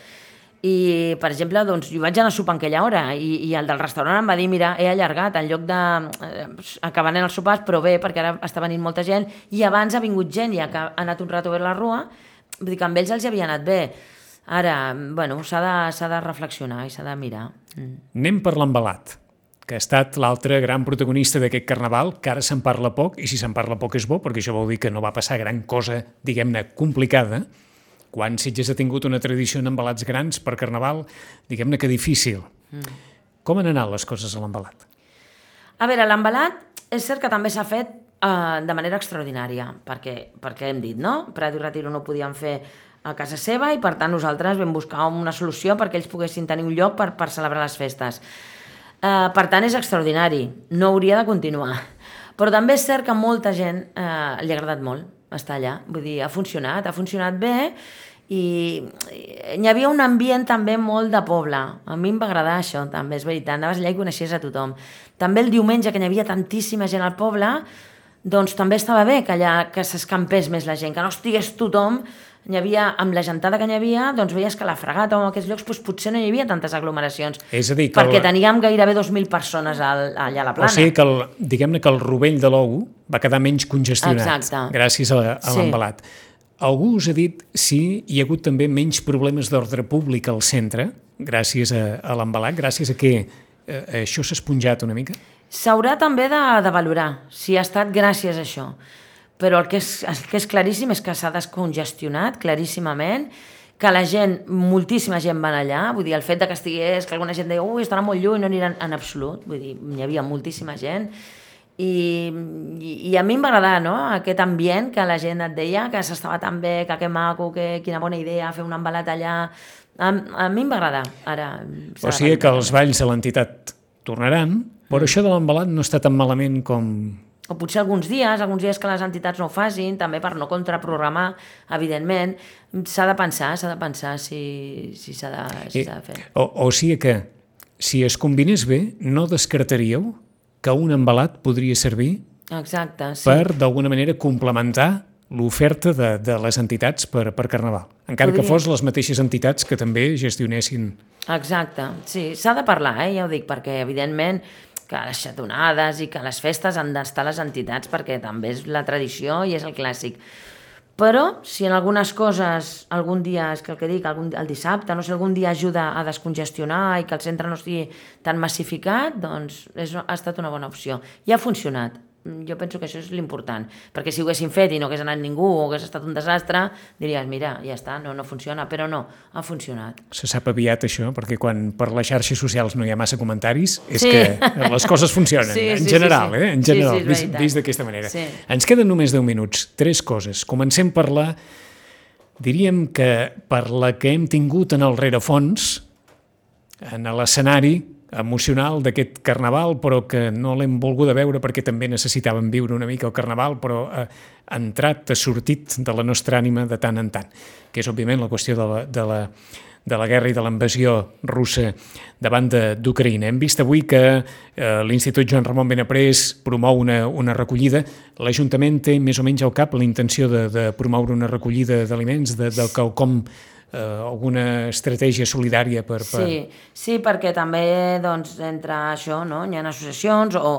I, per exemple, doncs, jo vaig anar a sopar en aquella hora i, i el del restaurant em va dir, mira, he allargat, en lloc de... Eh, acabar els sopars, però bé, perquè ara està venint molta gent, i abans ha vingut gent i ha anat un rato a veure la rua, vull dir que amb ells els havia anat bé. Ara, bueno, s'ha de, s'ha de reflexionar i s'ha de mirar. Mm. Anem per l'embalat, que ha estat l'altre gran protagonista d'aquest carnaval, que ara se'n parla poc, i si se'n parla poc és bo, perquè això vol dir que no va passar gran cosa, diguem-ne, complicada. Quan Sitges ha tingut una tradició en embalats grans per carnaval, diguem-ne que difícil. Mm. Com han anat les coses a l'embalat? A veure, l'embalat és cert que també s'ha fet uh, de manera extraordinària, perquè, perquè hem dit, no? Prat i Retiro no podien fer a casa seva i per tant nosaltres vam buscar una solució perquè ells poguessin tenir un lloc per, per celebrar les festes. Uh, per tant és extraordinari, no hauria de continuar. Però també és cert que a molta gent uh, li ha agradat molt estar allà, vull dir, ha funcionat, ha funcionat bé i hi havia un ambient també molt de poble. A mi em va agradar això, també, és veritat, anaves allà i coneixies a tothom. També el diumenge, que hi havia tantíssima gent al poble, doncs també estava bé que allà que s'escampés més la gent, que no estigués tothom Hi havia, amb la gentada que hi havia, doncs veies que a la Fragata o en aquests llocs doncs, potser no hi havia tantes aglomeracions. És a dir, que perquè el... teníem gairebé dos mil persones al, allà a la Plana. O sigui que, el, diguem-ne que el rovell de l'ou va quedar menys congestionat. Exacte. Gràcies a, a l'embalat. Sí. Algú us ha dit si hi ha hagut també menys problemes d'ordre públic al centre, gràcies a, a l'embalat, gràcies a que eh, això s'ha esponjat una mica? S'haurà també de, de valorar si ha estat gràcies a això. Però el que és, el que és claríssim és que s'ha descongestionat claríssimament, que la gent, moltíssima gent van allà, vull dir, el fet de que estigués, que alguna gent deia ui, estarà molt lluny, no aniran en absolut, vull dir, hi havia moltíssima gent, i, i, i a mi em va agradar, no?, aquest ambient que la gent et deia, que s'estava tan bé, que que maco, que quina bona idea, fer un embalat allà, a, a mi em va agradar, ara... O sigui que els balls de l'entitat tornaran, però mm. això de l'embalat no està tan malament com... O potser alguns dies, alguns dies que les entitats no ho facin, també per no contraprogramar, evidentment, s'ha de pensar, s'ha de pensar si si s'ha de, si s'ha de fer. O, o sigui que, si es combinés bé, no descartaríeu que un embalat podria servir Exacte, sí. per, d'alguna manera, complementar l'oferta de, de les entitats per, per Carnaval, encara Podria... que fos les mateixes entitats que també gestionessin. Exacte, sí, s'ha de parlar, eh? Ja ho dic, perquè evidentment que les xatonades i que les festes han d'estar les entitats perquè també és la tradició i és el clàssic. Però si en algunes coses algun dia, és que el que dic, algun, el dissabte, no sé, algun dia ajuda a descongestionar i que el centre no estigui tan massificat, doncs és, ha estat una bona opció. I ha funcionat. Jo penso que això és l'important, perquè si ho haguéssim fet i no hagués anat ningú o hagués estat un desastre, diries, mira, ja està, no, no funciona, però no, ha funcionat. Se sap aviat això, perquè quan per les xarxes socials no hi ha massa comentaris, és sí. que les coses funcionen, sí, en sí, general, sí, sí. eh? En general, sí, sí, vist, vist d'aquesta manera. Sí. Ens queden només deu minuts, tres coses. Comencem per la, diríem que per la que hem tingut en el rerefons, en l'escenari emocional d'aquest Carnaval, però que no l'hem volguda veure perquè també necessitàvem viure una mica el Carnaval, però ha entrat, ha sortit de la nostra ànima de tant en tant, que és òbviament la qüestió de la, de la, de la guerra i de la invasió russa davant d'Ucraïna. Hem vist avui que eh, l'Institut Joan Ramon Benaprés promou una, una recollida. L'Ajuntament té més o menys al cap la intenció de, de promoure una recollida d'aliments, de, de quelcom Uh, alguna estratègia solidària per... per... Sí, sí, perquè també doncs, entre això no? Hi ha associacions o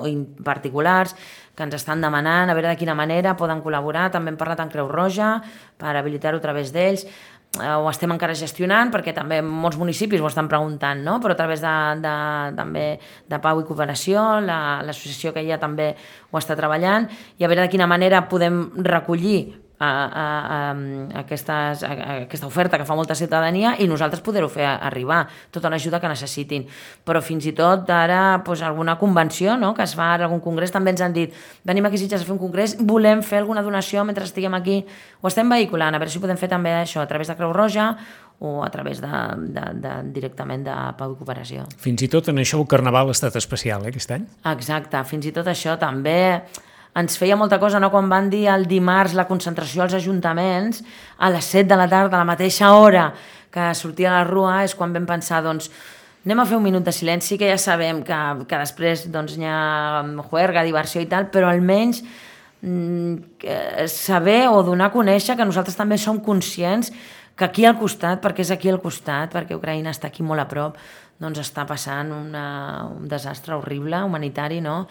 particulars que ens estan demanant a veure de quina manera poden col·laborar. També hem parlat amb Creu Roja per habilitar-ho a través d'ells. Uh, ho estem encara gestionant perquè també molts municipis ho estan preguntant, no? Però a través de, de, també de Pau i Cooperació, la, l'associació que hi ha també ho està treballant, i a veure de quina manera podem recollir A, a, a, aquestes, a, a aquesta oferta que fa molta ciutadania i nosaltres poder-ho fer arribar, tota l'ajuda que necessitin. Però fins i tot ara doncs, alguna convenció no? Que es fa ara, algun congrés, també ens han dit venim aquí a Sitges a fer un congrés, volem fer alguna donació mentre estiguem aquí, ho estem vehiculant, a veure si podem fer també això a través de Creu Roja o a través de, de, de, directament de Pau i Cooperació. Fins i tot en això el Carnaval ha estat especial, eh, aquest any? Exacte, fins i tot això també ens feia molta cosa, no? Quan van dir el dimarts la concentració als ajuntaments a les set de la tarda, a la mateixa hora que sortia a la rua, és quan vam pensar, doncs, anem a fer un minut de silenci, que ja sabem que, que després doncs, hi ha juerga, diversió i tal, però almenys mm, saber o donar a conèixer que nosaltres també som conscients que aquí al costat, perquè és aquí al costat, perquè Ucraïna està aquí molt a prop, doncs està passant una, un desastre horrible, humanitari, no?,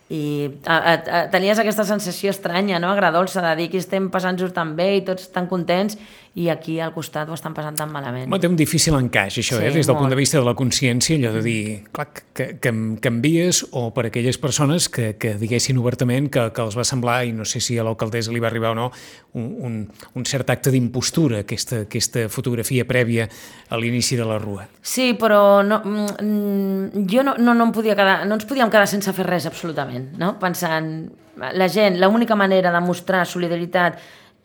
i a, a, a, tenies aquesta sensació estranya, no? Agradolça, de dir que estem passant-nos tan bé i tots tan contents i aquí al costat ho estan passant tan malament. Home, té un difícil encaix, això, sí, eh? Des del molt. Punt de vista de la consciència, allò de dir, clar, que, que canvies, o per aquelles persones que, que diguessin obertament que, que els va semblar, i no sé si a l'alcaldessa li va arribar o no, un, un, un cert acte d'impostura, aquesta, aquesta fotografia prèvia a l'inici de la rua. Sí, però no, jo no, no, no, em podia quedar, no ens podíem quedar sense fer res, absolutament, no? Pensant, la gent, l'única manera de mostrar solidaritat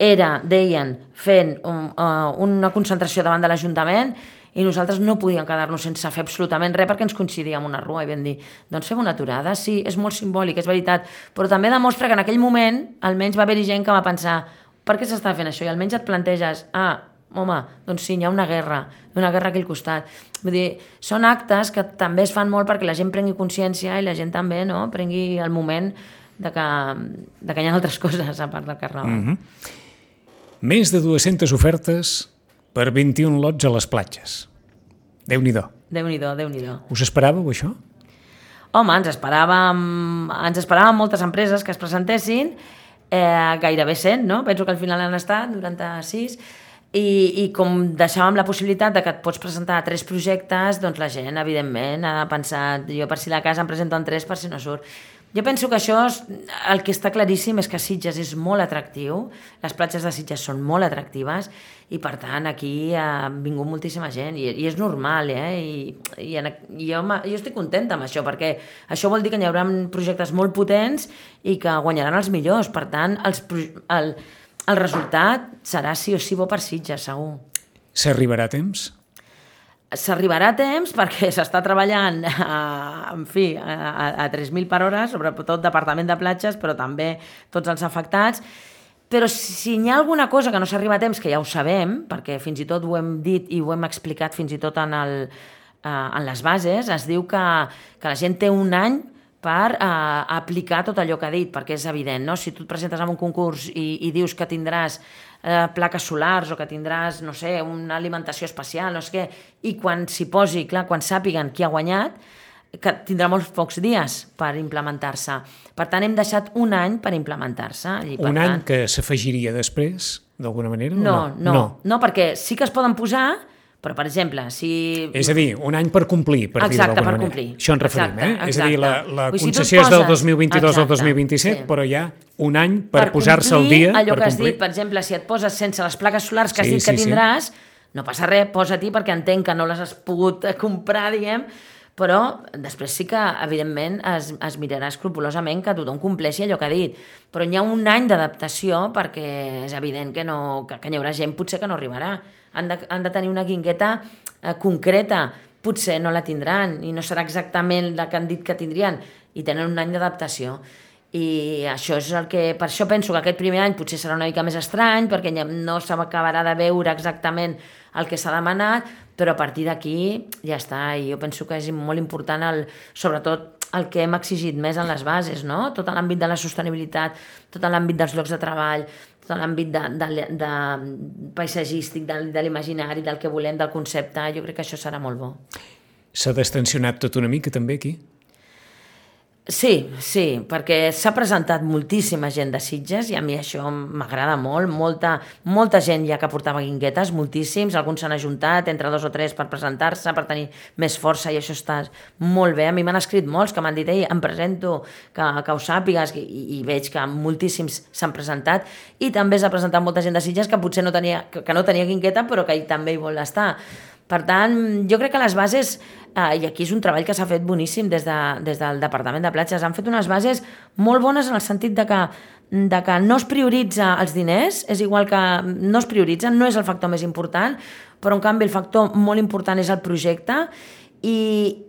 era, deien, fent un, uh, una concentració davant de l'Ajuntament i nosaltres no podíem quedar-nos sense fer absolutament res perquè ens coincidia amb una rua i vam dir, doncs fem una aturada, sí, és molt simbòlic, és veritat, però també demostra que en aquell moment almenys va haver-hi gent que va pensar per què s'està fent això? I almenys et planteges, ah, home, doncs sí, hi ha una guerra, una guerra aquí al costat. Vull dir, són actes que també es fan molt perquè la gent prengui consciència i la gent també no, prengui el moment de que, de que hi ha altres coses a part del Carnaval. Mm-hmm. Més de dues-centes ofertes per vint-i-un lots a les platges. Déu-n'hi-do. Déu-n'hi-do, Déu-n'hi-do. Us esperàveu, això? Home, ens esperàvem, ens esperàvem moltes empreses que es presentessin, eh, gairebé cent, no? Penso que al final han estat noranta-sis, i, i com deixàvem la possibilitat de que et pots presentar a tres projectes, doncs la gent, evidentment, ha pensat, jo per si la casa em presento en tres per si no surt. Jo penso que això, és, el que està claríssim és que Sitges és molt atractiu, les platges de Sitges són molt atractives i per tant aquí ha vingut moltíssima gent i, i és normal, eh? I, i, en, i jo, jo estic contenta amb això perquè això vol dir que hi haurà projectes molt potents i que guanyaran els millors, per tant els, el, el resultat serà sí o sí bo per Sitges, segur. S'arribarà a temps? S'arribarà a temps perquè s'està treballant a, en fi, a, a tres mil per hora, sobretot Departament de Platges, però també tots els afectats. Però si hi ha alguna cosa que no s'arriba a temps, que ja ho sabem, perquè fins i tot ho hem dit i ho hem explicat fins i tot en, el, en les bases, es diu que, que la gent té un any per uh, aplicar tot allò que ha dit, perquè és evident, no? Si tu et presentes en un concurs i, i dius que tindràs uh, plaques solars o que tindràs, no sé, una alimentació especial, no sé què, i quan s'hi posi, clar, quan sàpiguen qui ha guanyat, que tindrà molts pocs dies per implementar-se. Per tant, hem deixat un any per implementar-se. I, per un tant... any que s'afegiria després, d'alguna manera? No, no? No, no, no, perquè sí que es poden posar. Però, per exemple, si... És a dir, un any per complir, per dir d'alguna manera. Exacte, per complir. Això ens referim, exacte, eh? Exacte. És a dir, la, la Ui, concessió si és del dos mil vint-i-dos exacte, al dos mil vint-i-set, sí. Però hi ha un any per, per posar-se al dia. Allò per que has complir. dit, per exemple, si et poses sense les plaques solars que has sí, dit que sí, tindràs, sí. No passa res, posa-t'hi perquè entenc que no les has pogut comprar, diguem, però després sí que, evidentment, es, es mirarà escrupolosament que tothom compleixi allò que ha dit. Però hi ha un any d'adaptació perquè és evident que, no, que, que hi haurà gent potser que no arribarà. Han de, han de tenir una guingueta eh, concreta, potser no la tindran i no serà exactament la que han dit que tindrien i tenen un any d'adaptació. I això és el que, per això penso que aquest primer any potser serà una mica més estrany perquè no s'acabarà de veure exactament el que s'ha demanat, però a partir d'aquí ja està, i jo penso que és molt important el, sobretot el que hem exigit més en les bases, no? Tot l'àmbit de la sostenibilitat, tot l'àmbit dels llocs de treball, tot l'àmbit de, de, de paisatgístic, de, de l'imaginari, del que volem, del concepte, jo crec que això serà molt bo. S'ha destensionat tot una mica també aquí? Sí, sí, perquè s'ha presentat moltíssima gent de Sitges i a mi això m'agrada molt, molta, molta gent ja que portava guinguetes, moltíssims, alguns s'han ajuntat entre dos o tres per presentar-se, per tenir més força i això està molt bé. A mi m'han escrit molts que m'han dit, ei, em presento, que, que ho sàpigues, i, i veig que moltíssims s'han presentat i també s'ha presentat molta gent de Sitges que potser no tenia, que, que no tenia guingueta però que també hi vol estar. Per tant, jo crec que les bases, eh, i aquí és un treball que s'ha fet boníssim des, de, des del Departament de Platges, han fet unes bases molt bones en el sentit de que, de que no es prioritza els diners, és igual que no es prioritzen, no és el factor més important, però en canvi el factor molt important és el projecte i,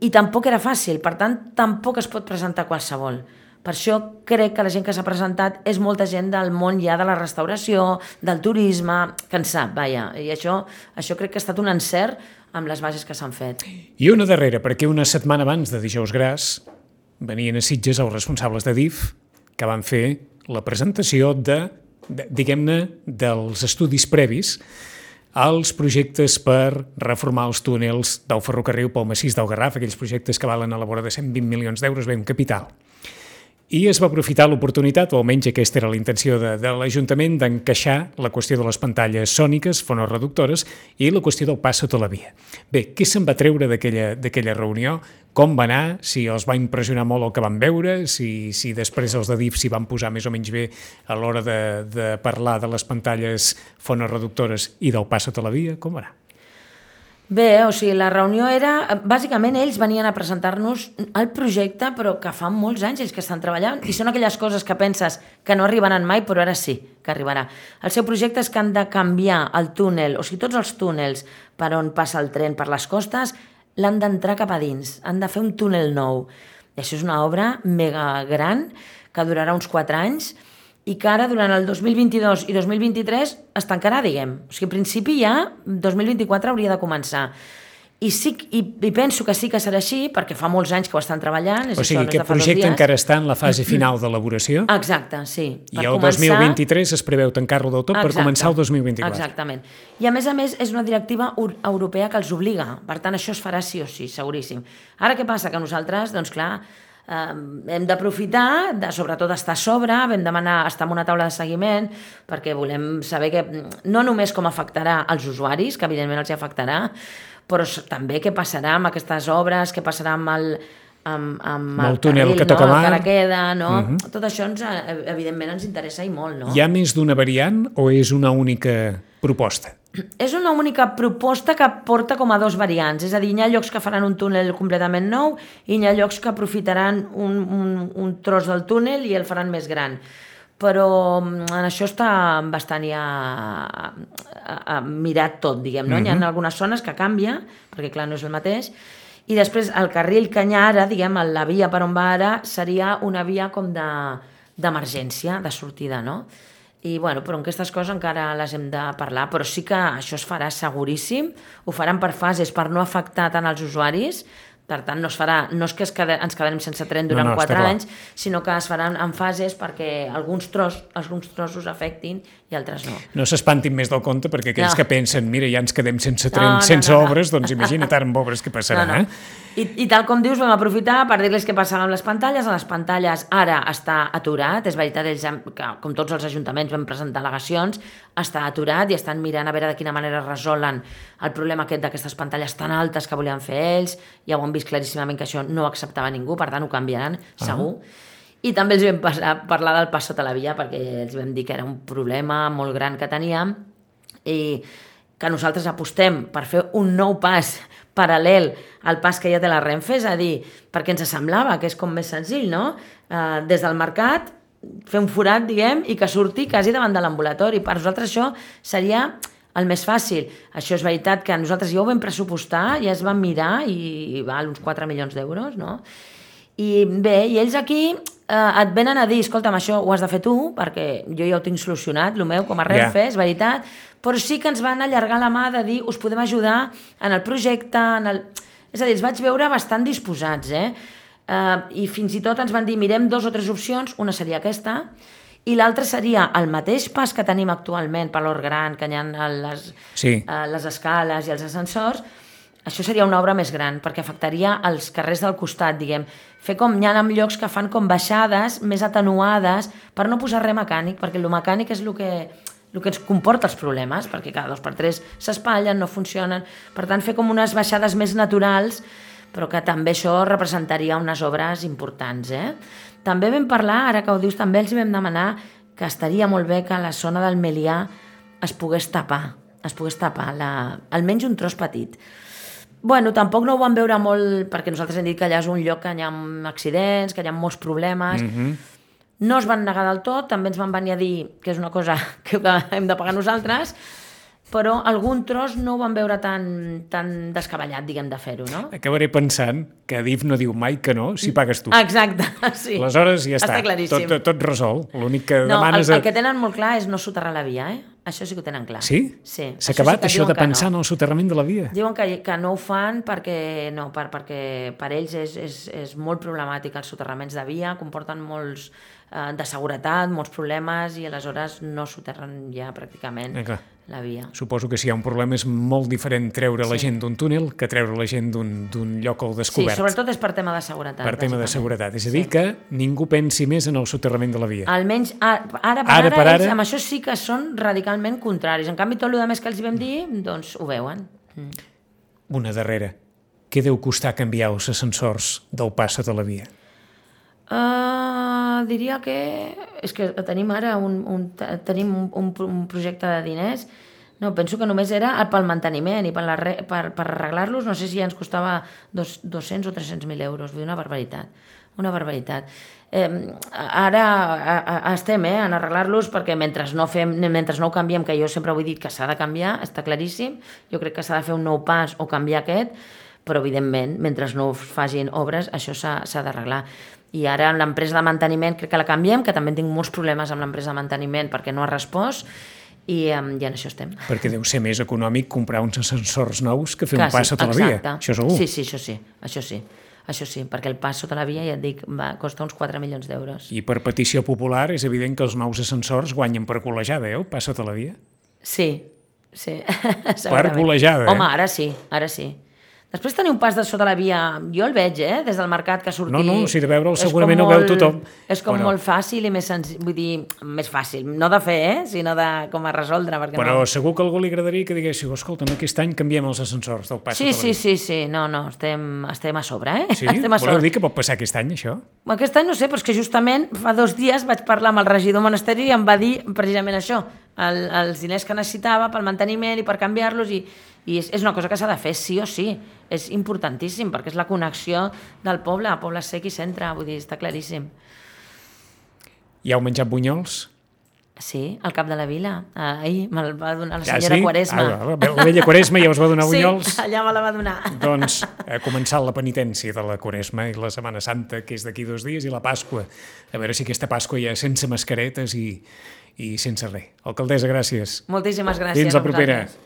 i tampoc era fàcil, per tant tampoc es pot presentar qualsevol. Per això crec que la gent que s'ha presentat és molta gent del món ja de la restauració, del turisme, que en sap, vaja. I això, això crec que ha estat un encert amb les bases que s'han fet. I una darrera, perquè una setmana abans de Dijous Gras venien a Sitges els responsables de D I F que van fer la presentació de, de diguem-ne, dels estudis previs als projectes per reformar els túnels del ferrocarril pel massís del Garraf, aquells projectes que valen a la vora de cent vint milions d'euros, bé, un capital. I es va aprofitar l'oportunitat, o almenys aquesta era la intenció de, de l'Ajuntament, d'encaixar la qüestió de les pantalles sòniques, fonoreductores, i la qüestió del pas sota la via. Bé, què se'n va treure d'aquella reunió? Com va anar? Si els va impressionar molt el que van veure? Si, si després els de D I F s'hi van posar més o menys bé a l'hora de, de parlar de les pantalles fonoreductores i del pas sota la via? Com va anar? Bé, o sigui, la reunió era... Bàsicament, ells venien a presentar-nos el projecte, però que fa molts anys ells que estan treballant, i són aquelles coses que penses que no arribaran mai, però ara sí que arribarà. El seu projecte és que han de canviar el túnel, o sigui, tots els túnels per on passa el tren per les costes, l'han d'entrar cap a dins, han de fer un túnel nou. I això és una obra mega gran, que durarà uns quatre anys, i que ara, durant el dos mil vint-i-dos i dos mil vint-i-tres, es tancarà, diguem. O sigui, en principi ja dos mil vint-i-quatre hauria de començar. I, sí, i, i penso que sí que serà així, perquè fa molts anys que ho estan treballant. És o sigui, això, no aquest projecte encara està en la fase final d'elaboració. Exacte, sí. I el dos mil vint-i-tres es preveu tancar-lo del tot. Exacte. Per començar el dos mil vint-i-quatre. Exactament. I a més a més és una directiva europea que els obliga. Per tant, això es farà sí o sí, seguríssim. Ara què passa? Que nosaltres, doncs clar, eh, hem d'aprofitar, de, sobretot estar a sobre, vam demanar estar en una taula de seguiment, perquè volem saber que no només com afectarà als usuaris, que evidentment els afectarà, però també què passarà amb aquestes obres, què passarà amb el, amb, amb el, el túnel carril, que toca no? mar. El que ara queda, no? Uh uh-huh. -huh. Tot això ens, evidentment ens interessa i molt, no? Hi ha més d'una variant o és una única proposta? És una única proposta que porta com a dos variants, és a dir, hi ha llocs que faran un túnel completament nou i hi ha llocs que aprofitaran un, un, un tros del túnel i el faran més gran. Però en això està bastant ja mirat tot, diguem, no? Uh-huh. Hi ha algunes zones que canvia, perquè clar, no és el mateix, i després el carril que hi ha ara, diguem, la via per on va ara, seria una via com d'emergència, de, de sortida, no? I bueno, però aquestes coses encara les hem de parlar, però sí que això es farà seguríssim, ho faran per fases per no afectar tant als usuaris. Per tant, no, es farà, no és que es quede, ens quedarem sense tren durant no, no, quatre anys, sinó que es faran en fases perquè alguns, tros, alguns trossos afectin i altres no. No s'espantin més del compte, perquè aquells no. que pensen, mira, ja ens quedem sense tren, no, no, sense no, no. obres, doncs imagina't ara amb obres què passarà. No, no. Eh? I, I tal com dius, vam aprofitar per dir-les què passava amb les pantalles. A les pantalles ara està aturat, és veritat, ells, que, com tots els ajuntaments vam presentar al·legacions, està aturat i estan mirant a veure de quina manera resolen el problema aquest d'aquestes pantalles tan altes que volien fer ells. Ja ho han vist claríssimament que això no ho acceptava ningú, per tant ho canviaran, uh-huh. segur. I també els vam passar, parlar del pas sota la via, perquè els vam dir que era un problema molt gran que teníem i que nosaltres apostem per fer un nou pas paral·lel al pas que ja té la Renfe, és a dir, perquè ens semblava que és com més senzill, no? Eh, des del mercat, fer un forat, diguem, i que surti quasi davant de l'ambulatori. Per nosaltres això seria el més fàcil. Això és veritat que nosaltres ja ho vam pressupostar, ja es van mirar i, i val uns quatre milions d'euros, no? I bé, i ells aquí eh, et venen a dir, escolta'm, això ho has de fer tu, perquè jo ja ho tinc solucionat, el meu, com a Renfe, yeah. és veritat, però sí que ens van allargar la mà de dir, us podem ajudar en el projecte, en el... és a dir, els vaig veure bastant disposats, eh? eh? I fins i tot ens van dir, mirem dos o tres opcions, una seria aquesta, i l'altra seria el mateix pas que tenim actualment per l'Hort Gran, que hi ha les, sí. eh, les escales i els ascensors. Això seria una obra més gran, perquè afectaria els carrers del costat, diguem. Fer com hi ha en llocs que fan com baixades més atenuades per no posar res mecànic, perquè el mecànic és el que, el que ens comporta els problemes, perquè cada dos per tres s'espatllen, no funcionen. Per tant, fer com unes baixades més naturals, però que també això representaria unes obres importants, eh? També vam parlar, ara que ho dius, també els vam demanar que estaria molt bé que la zona del Melià es pogués tapar, es pogués tapar, la, almenys un tros petit. Bueno, tampoc no ho vam veure molt, perquè nosaltres hem dit que allà és un lloc que hi ha accidents, que hi ha molts problemes. Mm-hmm. No es van negar del tot, també ens van venir a dir que és una cosa que hem de pagar nosaltres, però algun tros no ho van veure tan, tan descabellat, diguem, de fer-ho, no? Acabaré pensant que Adif no diu mai que no si pagues tu. Exacte, sí. Aleshores ja està, està claríssim. Tot, tot resol. L'únic que no, demanes... El, el que tenen molt clar és no soterrar la via, eh? Això sí que ho tenen clar. Sí? Sí. S'ha acabat això, sí això de pensar no. en el soterrament de la via? Diuen que, que no ho fan perquè, no, per, perquè per ells és, és, és molt problemàtic els soterraments de via, comporten molts eh, de seguretat, molts problemes i aleshores no soterren ja pràcticament eh, la via. Suposo que si hi ha un problema és molt diferent treure sí. la gent d'un túnel que treure la gent d'un lloc al descobert. Sí, sobretot és per tema de seguretat. Per tema de seguretat. És a dir, sí. que ningú pensi més en el soterrament de la via. Almenys ara per ara, ara, per ara ells amb això sí que són radicalment contraris. En canvi, tot el més que els hi vam dir, doncs ho veuen. Mm. Una darrera. Què deu costar canviar els ascensors del pas sota la via? Uh, diria que és que tenim ara un, un, tenim un, un, un projecte de diners. No, penso que només era pel manteniment i per, la re, per, per arreglar-los, no sé si ja ens costava dos, dos-cents o tres-cents mil euros, vull dir, una barbaritat, una barbaritat. Eh, ara a, a, estem eh, en arreglar-los perquè mentre no, fem, mentre no ho canviem, que jo sempre ho he dit que s'ha de canviar, està claríssim, jo crec que s'ha de fer un nou pas o canviar aquest, però evidentment, mentre no facin obres, això s'ha d'arreglar. I ara amb l'empresa de manteniment crec que la canviem, que també tinc molts problemes amb l'empresa de manteniment perquè no ha respost, I, um, i en això estem. Perquè deu ser més econòmic comprar uns ascensors nous que fer Quasi, un pas sota exacte. la via. Això segur. Sí, sí, això sí, això sí. Això sí, perquè el pas sota la via, ja et dic, va costar uns quatre milions d'euros. I per petició popular és evident que els nous ascensors guanyen per golejada, eh, el pas sota la via? Sí, sí. Per golejada, eh? Home, ara sí, ara sí. Després tenir un pas de sota la via, jo el veig, eh, des del mercat que surti... No, no, si de veure'l és segurament com ho veu molt- tothom. És com Bueno. molt fàcil i més senzill, vull dir, més fàcil, no de fer, eh, sinó de com a resoldre, perquè Però no... segur que a algú li agradaria que diguéssiu, escolta, aquest any canviem els ascensors del pas Sí, sota la sí, via. sí, sí, no, no, estem, estem a sobre, eh? Sí? Estem a Voleu sobre. dir que pot passar aquest any, això? Aquest any no sé, però és que justament fa dos dies vaig parlar amb el regidor monasteri i em va dir precisament això, el, els diners que necessitava pel manteniment i per canviar-los, i, i és, és una cosa que s'ha de fer sí o sí, és importantíssim, perquè és la connexió del poble, poble sec i centre, vull dir, està claríssim. Ja heu menjat bunyols? Sí, al cap de la vila, ahir me'l va donar la Ja senyora sí? Quaresma. Ah, la vella Quaresma ja us va donar bunyols? Sí, allà me la va donar. Doncs ha començat la penitència de la Quaresma i la Setmana Santa, que és d'aquí dos dies, i la Pasqua. A veure si aquesta Pasqua ja sense mascaretes i, i sense res. Alcaldessa, gràcies. Moltíssimes gràcies Fins la a propera. vosaltres.